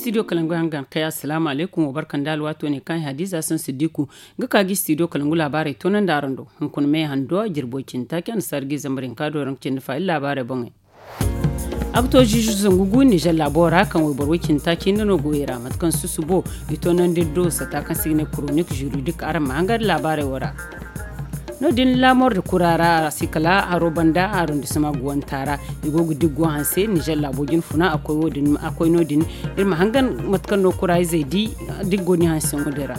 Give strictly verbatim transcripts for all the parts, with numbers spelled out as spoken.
Studio kalangu hangan kay, assalamu alaikum, wa barka nda alwaato ne kaŋ hadiza san siddiku ga ka gi studio kalangu laabaarey toonandi araŋ do. Hunkuna me hando a jirbo cindi taaci annasaara ga i zambar hinka do raŋ cindi fa iri laabaarey boŋey. A ga to ziizu zangu gu nizer laabo ra kaŋ wayboro way cindi taaci hinne no go i ra mate kaŋ susubo i toonandi iri do sata kaŋ se i ga ne koronik juridik araŋ ma hangan laabaarey wo ra. No- din laamor da kura ra a si kala haro banda arondisema guwanta ra. I go ga diggo hanse nizer laabo jine funa a koy no- din iri ma hangan mate kaŋ no kura izey di diggo ni hanse ŋo din ra.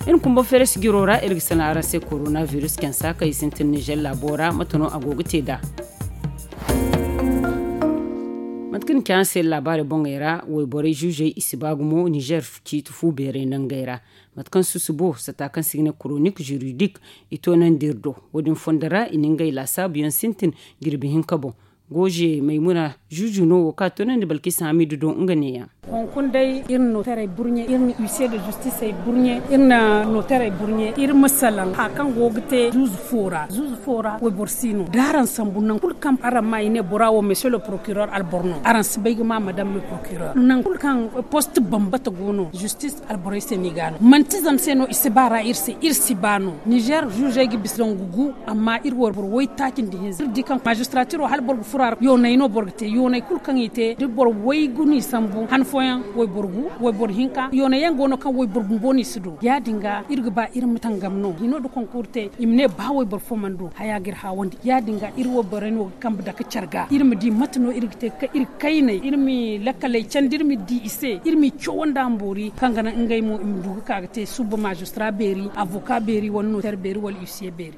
Iri kumba feres jiro ra iri ga sanaŋ araŋ se korona virus kaŋ sa kay sintin nizer laabo ra mate no a go ga te nd'a. Mate kaŋ ni ci araŋ se laabaarey boŋey ra wayborey zuzey i si ba gumo nizer ciiti fu beerey nangey ra. Mate kaŋ susubo sata kaŋ se i ga ne koronik juridik i toonandi iri do. Wo- din fondo ra i na ngey laasaabuyaŋ sintin jirbi hinka boŋ. Goze maymuna zuzu no wo kaŋ a toonandi balkisa hamidu do nga neeyaŋ. Hunkuna day iri na notarey burɲe, iri na huissier de justice burɲe, iri na notarey burɲe iri ma salaŋ hari kaŋ go ga te zuzu fo ra. Zuzu fo ra wayboro si no da araŋ sambu nangu kulu kaŋ araŋ ma i ne bora wo monsieur le procureur alboro no araŋ si bay ga ma madame le procureur nangu kulu kaŋ poste bambata go no justice alborey se no i ga a no manti zama se no i si ba ra iri se iri si ba no nizer zuzey ga bisa zangu gu. Amma iri wayboro waytaaci nda hinza iri di kaŋ magistratiro hala boro ga furo a ra yoonay no boro ga te yoonay kulu kaŋ i te da boro waygu no i sambu han fooyaŋ wayboro gu wayboro hinka yoonay yaŋ go no kaŋ wayboro bumbo no i si du ya- din ga iri ga ba iri ma tangam no hino nda konkuuru te i ma ne ba wayboro fo mana du haya ga iri haawandi ya- din ga iri wayborey no ga kambe dake care ga iri ma di mate no iri ga te ga ka iri kayney iri ma lakkaley candi iri ma di i se iri ma i cawo nda a ma boori kaŋ ga naŋ ngey mo i ma du ga ka ga te suba magistra beeri avoka beeri wala noter beeri wala huissier beeri.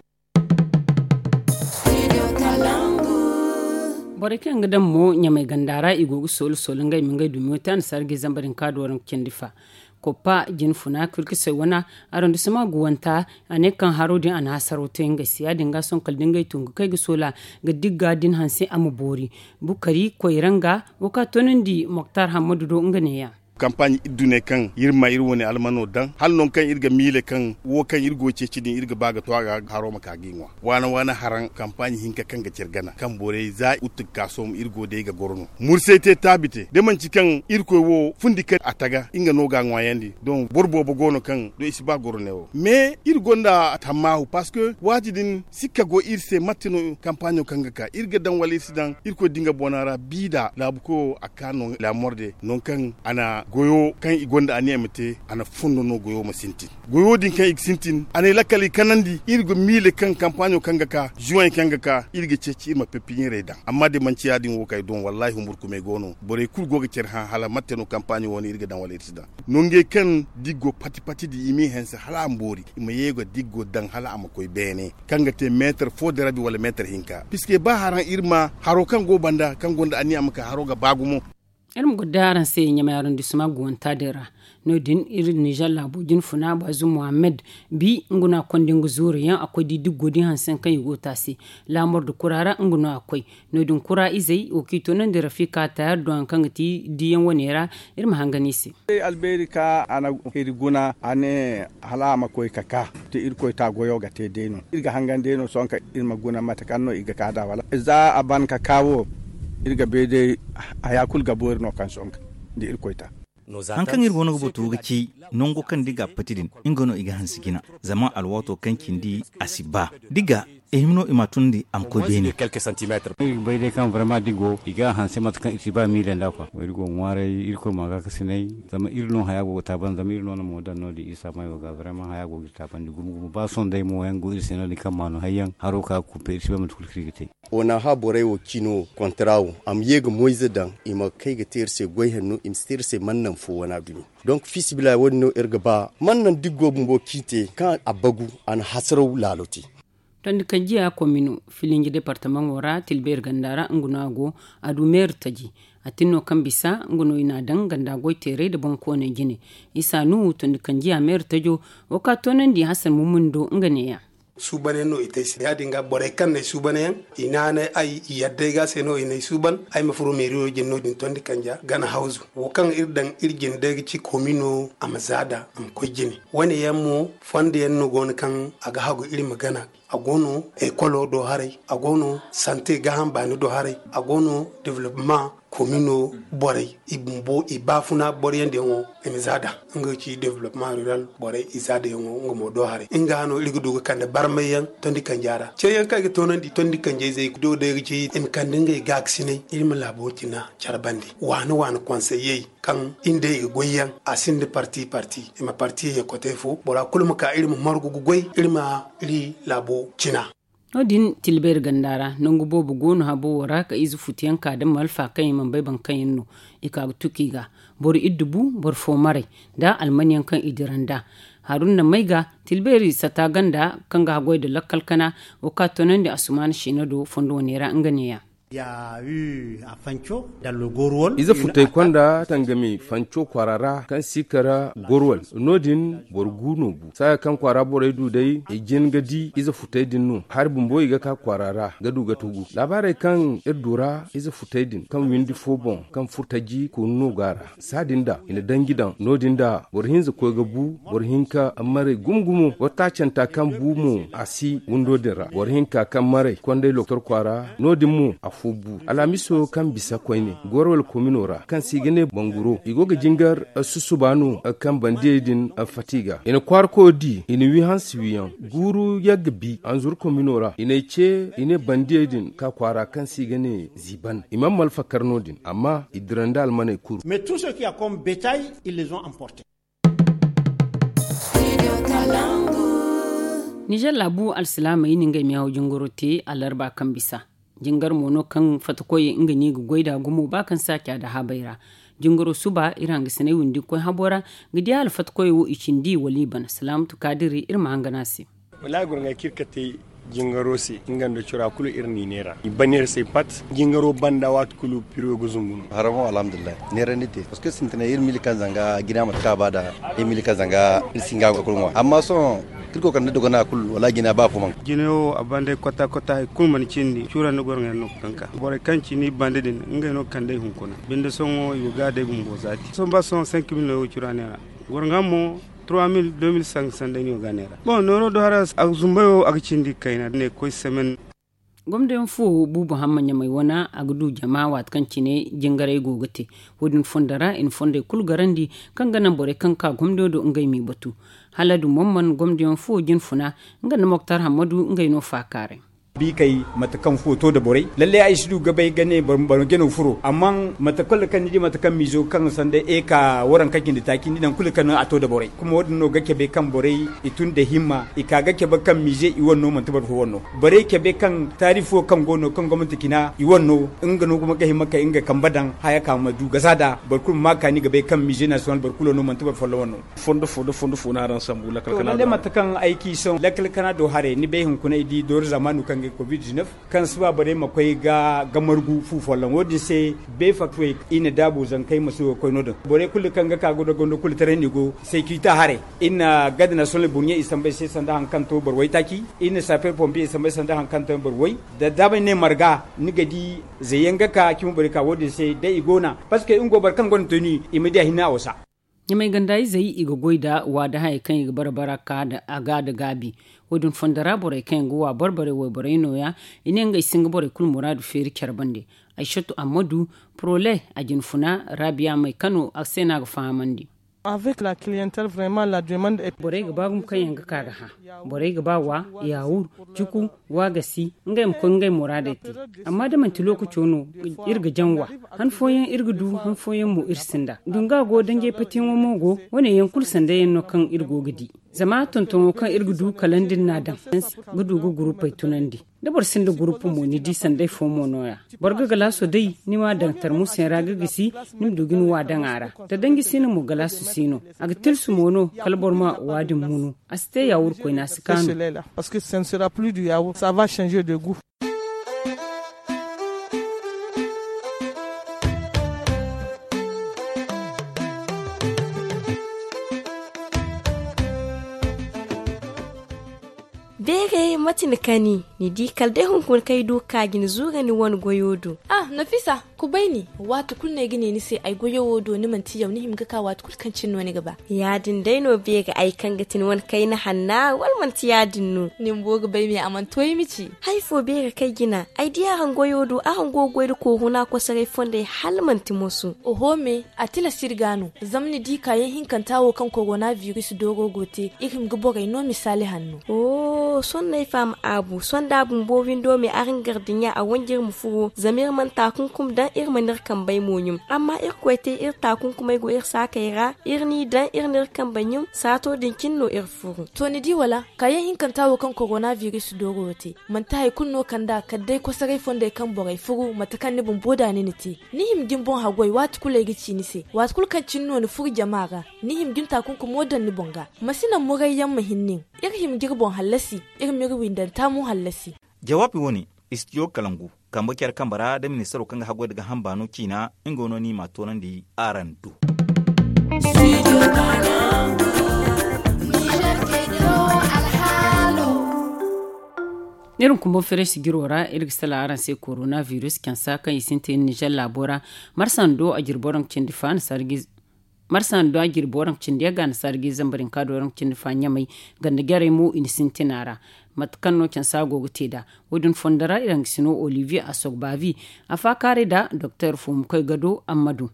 Borey kaŋ yaŋ ga daŋ mo ɲamay ganda ra i go ga soolo soolo ngey ma ngey dumiyo te annasaara ga i zambar hinka do raŋ ga cindi fa. Koppa jine funa kirkisey wana arondisema guwanta a ne kaŋ haro din a na hasaro te ngey se ya- din ga sohõ kala da ngey tun ga kay ga soola ga digga din hanse a ma boori. Bukari koyra nga wo kaŋ a toonandi moktar hammadu do nga neeyaŋ. Kampaaɲ iri du ne kaŋ iri ma iri wane almano daŋ hala nangu kaŋ iri ga miile kaŋ wo kaŋ iri go ga ceeci din iri ga ba ga to a ga haro ma ka ga i ŋwa. Waana waana haraŋ kampaaɲ hinka kaŋ ga care gana kaŋ borey za utu ga ka sohõ iri go day ga goro no mursay te taabi te da manci kaŋ irkoy wo fundi kaŋ a taga nga no ga a ŋwaayandi. Don boro boobo go no kaŋ do i si ba goro ne wo mais iri gonda tammaahu parce que waati din sikka go iri se mate no kampaaɲo kaŋ ga ka iri ga daŋ wala iri si daŋ irkoy da nga boona ra bi da laabu koyo a ka no laamorde nangu kaŋ a na goyo kaŋ i gonda aniya ma te a na fondo no goyo ma sintin. Goyo din kaŋ i ga sintin a ne lakkal i kanandi iri ga miile kaŋ kampaaɲo kaŋ ga ka zuwey kaŋ ga ka iri ga ceeci iri ma peppiɲirey daŋ amma da manci ya- din wo kaŋ ay doŋ wallahi humburkumey go no borey kulu go ga care hã hala mate no kampaaɲo wo no iri ga daŋ wala iri si daŋ. Nongey kaŋ diggo pati pati din i m'i hanse hala a ma boori i ma ye ga diggo daŋ hala a ma koy beene kaŋ ga te meetar fo da rabi wala meetar hinka piske ba haraŋ iri ma haro kaŋ go banda kaŋ gonda aniya ma ka haro ga ba gumo. Iri ma goro day araŋ se ɲamay arondisema guwanta din ra. No- din iri nizer laabo jine funa bazu muhammad bi nga no a konda nga zuuru yaŋ a koy di diggo din hanse kaŋ i go ga te a se. Laamor da kura ra nga no a koy. No- din kura izey wo kaŋ i toonandi rafika tayar do hari kaŋ ga ti diyaŋ wane ra. Iri ma hangan i se. Albeeri ka a na iri guna a ne hala a ma koy ka ka da irkoy ta goyo ga te day no iri ga hangan day no sohõ kaŋ iri ma guna mate kaŋ no i ga ka da wala za a ban ka ka wo iri ga bay day. Haya kulu ga boori no kaŋ sohõ kaŋ da irkoy ta. Hari kaŋ iri go no ga batu ga ci nango kaŋ da i ga a pati din nga no i ga hanse jina. Zama alwaato kaŋ cindi a si ba da i ga i hima no i ma a tunandi a ma koy beene. Iri ga bay day kaŋ barma da i go i ga a hanse mate kaŋ iri si ba miile nda kwa iri go ŋwaaray irkoy ma ga ga sinay. Zama iri no haya go ga taaban zama iri no na mo daŋ no- din isa mayo ga barma haya go ga iri taabandi gumo gumo ba sohõ day mo yaŋ go iri se no- din kaŋ ma no hari yaŋ haro ka ga kumpe iri si ba mate kulu kaŋ iri ga te. Onaha borey wo cino kontara wo a ma ye ga moyze daŋ i ma kay ga te iri se goy hanno i ma si te iri se mannan fo wana dumi. Donk fiisabilillahi wo- din no iri ga ba mannan diggo bumbo kaŋ i te kaŋ a bagu a na hasaraw laalo te. Tondi kanjiya komino filinji departamaŋo ra tilbeeri ganda ra nga no a go. A du meeri taji a tin no kaŋ bisa nga no i n'a daŋ ganda goy teeray nda boŋkooney jine. Isa nuhu tondi kanjiya meeri tajo wo ka toonandi hasan mumuni do nga neeya. Suuban yaŋ no i te ay se ya- din ga borey kaŋ n'ay suuban yaŋ i naanay ay i yadda ay ga se no i n'ay suuban ay ma furo meeriyo jine no- din tondi kanja gana hawzu wo kaŋ iri daŋ iri jine day ga ci komino a ma zaada a ma koy jine. Wane yaŋ mo fondo yaŋ no go no kaŋ a ga hagu iri ma gana. A go no ekolo do haray, a go no sante gaaham baani do haray, a go no development. Komino borey i bumbo i baafuna boro yaŋ diyaŋo i ma za da nga ga ci developpement rural borey i za da yaŋo nga mo do haray nga no iri ga du ga kande barmay yaŋ tondi kanja ra ce yaŋ kaŋ i ga toonandi tondi kanja izey do day ga ci i ma kande ngey gaakasinay iri ma laabo cina care bande waani waani konseyey kaŋ iri nda i ga goy yaŋ a sinda parti parti i ma parti ye kote fo bora kulu ma ka iri ma margu ga goy iri ma iri laabo cina. No- din tilbeeri ganda ra nangu boobo go no habo wo ra ka ize futuyaŋ ka da malfa kaŋ i mana bay boro kaŋ yaŋ no i ka ga tuki ga boro iddu bu boro fo maray nda almanyaŋ kaŋ i dira nd'a. Haruna may ga tilbeeri sata ganda kaŋ ga haggoy nda lakkal kana wo ka tonandi asumaana siina do fondo wane ra nga neeya. Ize futay konda tangami fanco kwaara ra kaŋ si kara gorwal no- din boro gu no gu saaya kaŋ kwaara borey du day i jin ga di ize futay din no hari bumbo i ga ka kwaara ra ga du ga tugu laabaarey kaŋ iri du ra ize futay din kaŋ windi fo boŋ kaŋ furtaji koonu no go a ra. Saadin da i na danji daŋ no- din da boro hinza koy ga bu boro hinka marey gumo gumo wata canta kaŋ bu mo a si windo din ra boro hinka kaŋ marey konday loktor kwaara no- din mo afo bu alhamiso kaŋ bisa koyne gorwal komino ra kaŋ se i ga ne banguro i go ga jingar susuba no kaŋ bandiyey din fati ga i na kwaarako di i na wi hansi wiyaŋ guuru yagga bi anzuru komino ra i n'ay ce i ne bandiyey din ka kwaara kaŋ se i ga ne ziban i mana malfa kar no- din amma i dira nda almaney kuru. Mais tout ce qui a comme bétail ils les ont emporté. Nizer laabu alsilaamey na ngey miyawo jingaro te alarba kaŋ bisa jingar mo no kaŋ fattakoyey nga no i ga goy nd'a gumo ba kaŋ saaca nda habey ra. Jingaro suba iri hangasiney windi ga koy habo ra ga di hala fattakoyey wo i cindi wala i bana salaamatu kaadiri iri ma hangan a se. Wallaahi goro ŋay kaŋ iri kate jingaro se nga nda cora kulu iri n'i neera i ban iri se pat. Jingaro banda waati kulu piro ga zungu no. Haraŋo alhamdulillahi neerandi te parceque sintinay iri mili kaŋ zanga jina mate kaŋ a ba da iri mili kaŋ zanga iri si nga ga kulu ŋwa amma sohõ iri koy kala ni dogona kulu wala jina ba fo man. Jina wo a banda ay kota kota hari kulu mana cindi cura nda goro ŋay no ga kaŋ ka borey kaŋ ci ni banda din ngey no ga kande ay hunkuna binde sohõ i go ga day bumbo zaati sohõ ba sohõ cinq mille no ay wo cura neera. Goro ŋa mo trois mille deux mille cinq cents day no i go ga neera. Bon nooro do hara a ga zumbay wo a ga cindi kayna ne ga koy semaine. Gomdayaŋ fuwo buubu hamma ɲamay wana a ga du jama waati kaŋ cine jingaray go ga te. Wo- din fondo ra i na fondey kulu garandi kaŋ ga naŋ borey kaŋ ga ka gomdayaŋ do ngey m'i batu. Hala dumamman gomdayaŋ fuwo jinfuna nga nda moktar hammadu ngey no faakaaray. Biikey mate kaŋ fuwo to nda borey lallay ay si du ga bay ga ne boro jano furo amma mate kulu kaŋ ni di mate kaŋ miizo kaŋ sanda eka waranka cindi taaci ni naŋ kulu kaŋ a to nda borey kuma wo- din no ga cabe kaŋ borey i tun nda himma i ka ga cabe kaŋ miize i wane no manti boro fo wane no. Borey cabe kaŋ taari fo kaŋ go no kaŋ gomnati cina i wane no nga no gumo ga hima kay nga kambe daŋ haya ka ma du gasa nd'a boro kulu ma ma kaani ga bay kaŋ miize nasiyonal boro kulu no manti boro folloŋ wane no. Fondo fo nda fondo fo no araŋ sambu lakkal kana do haray. Lakkal kana do haray ni bay hunkuna ay di dooru zaamaanu kaŋ ga covid-19 kaŋ si ba borey ma koy ga margu fu folloŋ wo- din se bay faktuwey i na daabu zankey ma si go ga koy no- din borey kulu kaŋ ga ka ga dogondo kulu taray no i go sekirita haray. Iri na gad nasiyonal burɲe i samba ay se sanda hari kaŋ to boro waytaaci. Iri na saper pompiye i samba ay se sanda hari kaŋ to boro way. Da daabey ne marga ni ga di zayyaŋ ga ka cimi borey ka wo- din se day i go na parceque nga go boro kaŋ gonda toni i ma di a hinne a wasa. Ɲamay ganda izey i ga goy nda waada hayey kaŋ i ga barbara ka a ga nda gaabi. Wo- din fondo ra borey kaŋ yaŋ ga wa barbarey wayborey nooya. I ne ngey si nga borey kulu muraadu feeri care bande. Aysatu ammadu, porole, a jinfuna, raabiya may kano a se no a ga fahamandi. Avec la clientèle vraiment la demande est. Borey ga ba gumo kaŋ yaŋ ga ka ga hã. Borey ga ba wa, yaawur, cuku, waagasi, ngey ma koy ngey muraadey te. Amma da manti lookaco no, iri ga jaŋ wa. Han fooyaŋ iri ga du han fooyaŋ mo iri sinda dunga go danjey patiyaŋo mo go. Wo- ne yaŋ kulu sanda yaŋ no kaŋ iri go ga di. Zama tontoŋo kaŋ iri ga du kala nda iri n'a daŋ, ga du ga gurupey tunandi. Da boro sinda gurupu mo ni di sanday fo mo nooya. Boro ga galaaso day ni m'a daŋ tarmusayaŋ ra ga gisi, ni ma du ga ni wa daŋ a ra. Da danji si no mo galaaso si no. A ga tilsu mo no kala boro ma wa din munu. A si te yaawur koyne a si kaanu. Parce que ce ne sera plus du yaourt, ça va changer de goût. Beeray mate ni kani? Ni di kala day hunkuna kaŋ ay du ga ka ga ni zuura ni wane goyo do. Ah, nafisa. Kubayni, waati kulu no ay ga ne ni se ay goyo wo do ni manti yaw ni hima ga ka waati kulu kaŋ cine no ni ga ba. Ya- din day no beeri ay kaŋ ga ti ni wane kayna hanna wala manti ya- din no? Ni bumbo ga bay me a mana to ay ma ci. Hari fo beeri kaŋ ay jina ay di araŋ goyo do araŋ go ga goy nda kooru no a kosoray fondey hala manti moso. Oho me, a tilas iri ga no. Zama ni di kaayaŋ hinkanta wo kaŋ korona biris dooro go te iri hima ga borey no misaali hanno. Sohõ no ay faham aabu sohõ da a bumbo windo me araŋ gardiɲa a wanji iri ma furo zama iri mana taakunkumi daŋ iri mana iri kambey mo ɲum. Amma irkoy te iri taakunkumey go iri saakey ra iri n'i daŋ iri n'iri kambey ɲum saato din cine no iri furo. To ni di wala? Kaayaŋ hinkanta wo kaŋ korona biris dooro wo te manti hari kulu no kand'a kala day kosoray fondey kaŋ borey furu mate kaŋ ni bumbo da ni na te. Ni hima ga ni boŋ haggoy waati kulu ay ga ci ni se waati kulu kaŋ cine no ni furu jama ra. Ni hima ga ni taakunkumo daŋ ni boŋ ga. Ma si naŋ murayyaŋ ma hin nin. Iri hima ga iri boŋ hallasi. Iri m'iri windanta mo hallasi. Jawaabi wo- ne, istidiyo kalangu kambe care kambe ra da ministaro kaŋ ga haggoy nda gaaham baano ciina nga no ni m'a toonandi araŋ do. Iri ma kumbo fereesi jiro ra iri ga salaŋ araŋ se korona biris cansa kaŋ i sintin ninzeer laabo ra. Marsa nda do a jirbi waranka cindi fa na sarji marsa nda do a jirbi waranka cindi yagga na sarji zambar hinka do waranka cindi fa ɲamay. Ganda jarey mo i na sintin a ra. Mate kaŋ no cansa go ga te nd'a wo- din fondo ra iri hangasino olivier a sogbavi a faakaaray nda doktor fo ma koy gado amma du.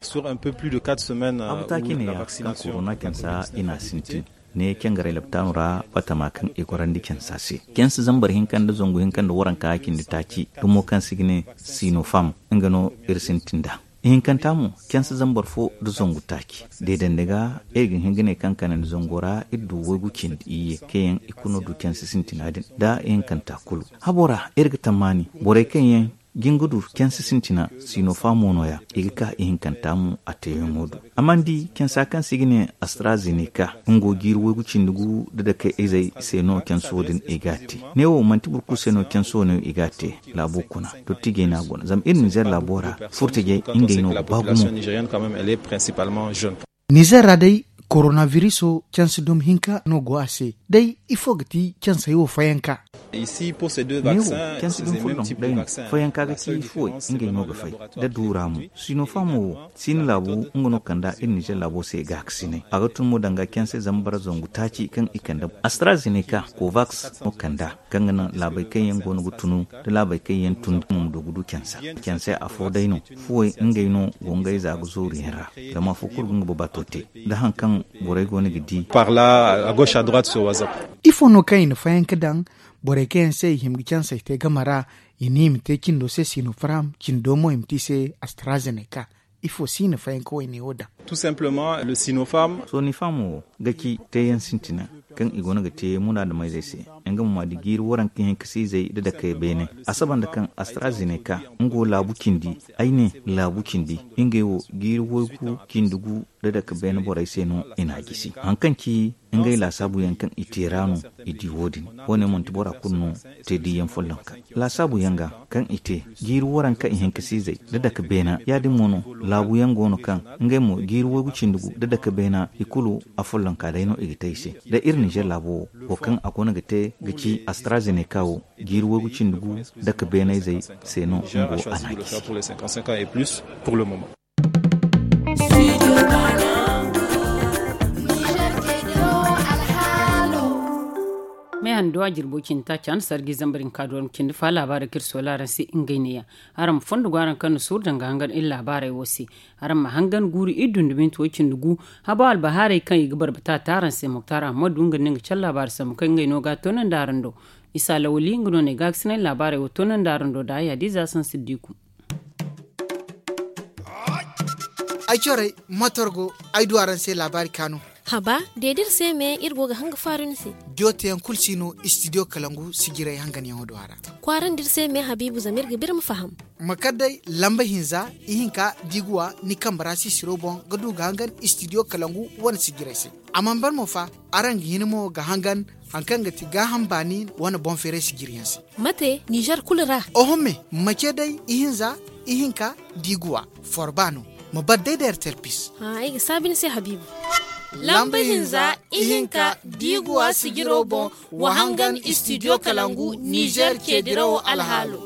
Abu taaki neeya kaŋ korona cansa i n'a sintin ne cangaray laptaano ra batama kaŋ i gorandi cansa se. Cansa zambar hinka nda zangu hinka nda waranka cindi taaci dumo kaŋ se i ga ne sinofam nga no iri sintin nd'a. Ihinkanta mo cansa zambar fo nda zangu taaci deedande ga iri ga hin ga ne kaŋ kanandi zango ra iri du waygu cindi iyye kaŋ yaŋ i kulu no du cansa sintina din nda ihinkanta kulu. Habo ra iri ga tammaani borey kaŋ yaŋ jin ga du cansa sintina sinofam mo nooya i ga ka ihinkanta mo a teeyaŋo do. Amma ni di cansa kaŋ se i ga ne astrazeneca nga go jiiri waygu cindi gu nda dake izey se no canso din i g'a te. Neewo manti boro kulu se no canso no i g'a te. Laabo kuna dottijey no a guna zama iri ninzeer laabo ra furtajey ngey no ga ba gumo. Ninzeer ra day korona biriso canse dumi hinka no go a se. Day ifo ga ti cansey wo fayanka? Neewo canse dumi fulloŋ day no fayanka ga ci fuwey ngey no ga fay. Da duura mo sinofam wo siina laabu nga no kand'a iri ninzeer laabo se gaakasinay a ga tun mo danga canse zambar zangu taaci kaŋ i kande astrazeneca kovaks no kand'a kaŋ ga naŋ laabey kaŋ yaŋ go no ga tunu nda laabey kaŋ yaŋ tun mo ma du ga du cansa. Canse afo day no fuwey ngey no go ngey za ga zooru yaŋ ra. Zama afo kulu ga nga babato te nda hari kaŋ borey go no ga di. Ifo no kaŋ i na fayanka daŋ borey kaŋ yaŋ se i hima ga canse i te game ra i ne i ma te cindo se sinofam cindo mo i ma te i se astrazeneca? Ifo si i na fayanka wayne wo daŋ? Sonifam wo ga ci teeyaŋ sintina kaŋ i go no ga te munaadamizey se. Nga mo ma di jiiri waranka hinka siizey nda dakey beene a saba nda kaŋ astrazeneca nga wo laabu cindi. Ay ne laabu cindi ngey wo jiiri waygu cindi gu nda dake beene borey se no i n'a gisi hari kaŋ ci ngey laasaabu yaŋ kaŋ i te ra no. I di wo- din wo- ne manti bora kulu no te diiyaŋ follonka laasaabu yaŋ ga kaŋ i te jiiri waranka ihinka siizey nda dake beena ya- din mo no. Laabu yaŋ go no kaŋ ngey mo jiiri waygu cindi gu nda dake beena i kulu afollonka day no i ga te i se. Da iri ninzeer laabo wo wo kaŋ a go no ga te ga ci astrazeneca wo jiiri waygu cindi gu dake beenayzey se no nga wo a n'a gisi. Me hando a jirbo cindi taaci a na sarji zambar hinka do araŋ cindi fa laabaarey kaŋ iri soola araŋ se ngey neeya. Araŋ ma fondo go araŋ kaŋ na suuru danga hangan iri laabaarey wo se. Araŋ ma hangan guuru iri dundubinti way cindi gu. Habo albahaarey kaŋ i ga barbata te araŋ se moktar ahamadu nga nda nga care laabaari sambu kaŋ ngey no ga a toonandi araŋ do. Isa lawali nga no ne gaakasinay laabaarey wo toonandi araŋ do da ay hadiza sansiddiku. Ay corey motor go ay du araŋ se laabaari kaanu. Haba, de da iri se me iri go ga hanga faaru ni se. Joteyaŋ kulu si no istidiyo kalangu sijirey hanganyaŋo do a ra. Kwaarandi iri se me habiibu zama iri ga ba iri ma faham. Ma kar day lamba hinza ihinka diiguwa ni kambe ra sisiro boŋ ga du ga hangan istidiyo kalangu wane sijirey se. A mana ban mo fa, araŋ ga hin mo ga hangan hari kaŋ ga ti gaaham baani wane boŋ feeray sijiriyaŋ se. Mate nizer kulu ra? Oho me, ma ce day ihinza ihinka diiguwa forba no. Ma bar day da ertel pis. Ay ga saabi ni se habiibu. Lamba hinza ihinka diiguwa sijiro boŋ wa hangan istidiyo kalangu nizer ceedirawo alhaalo.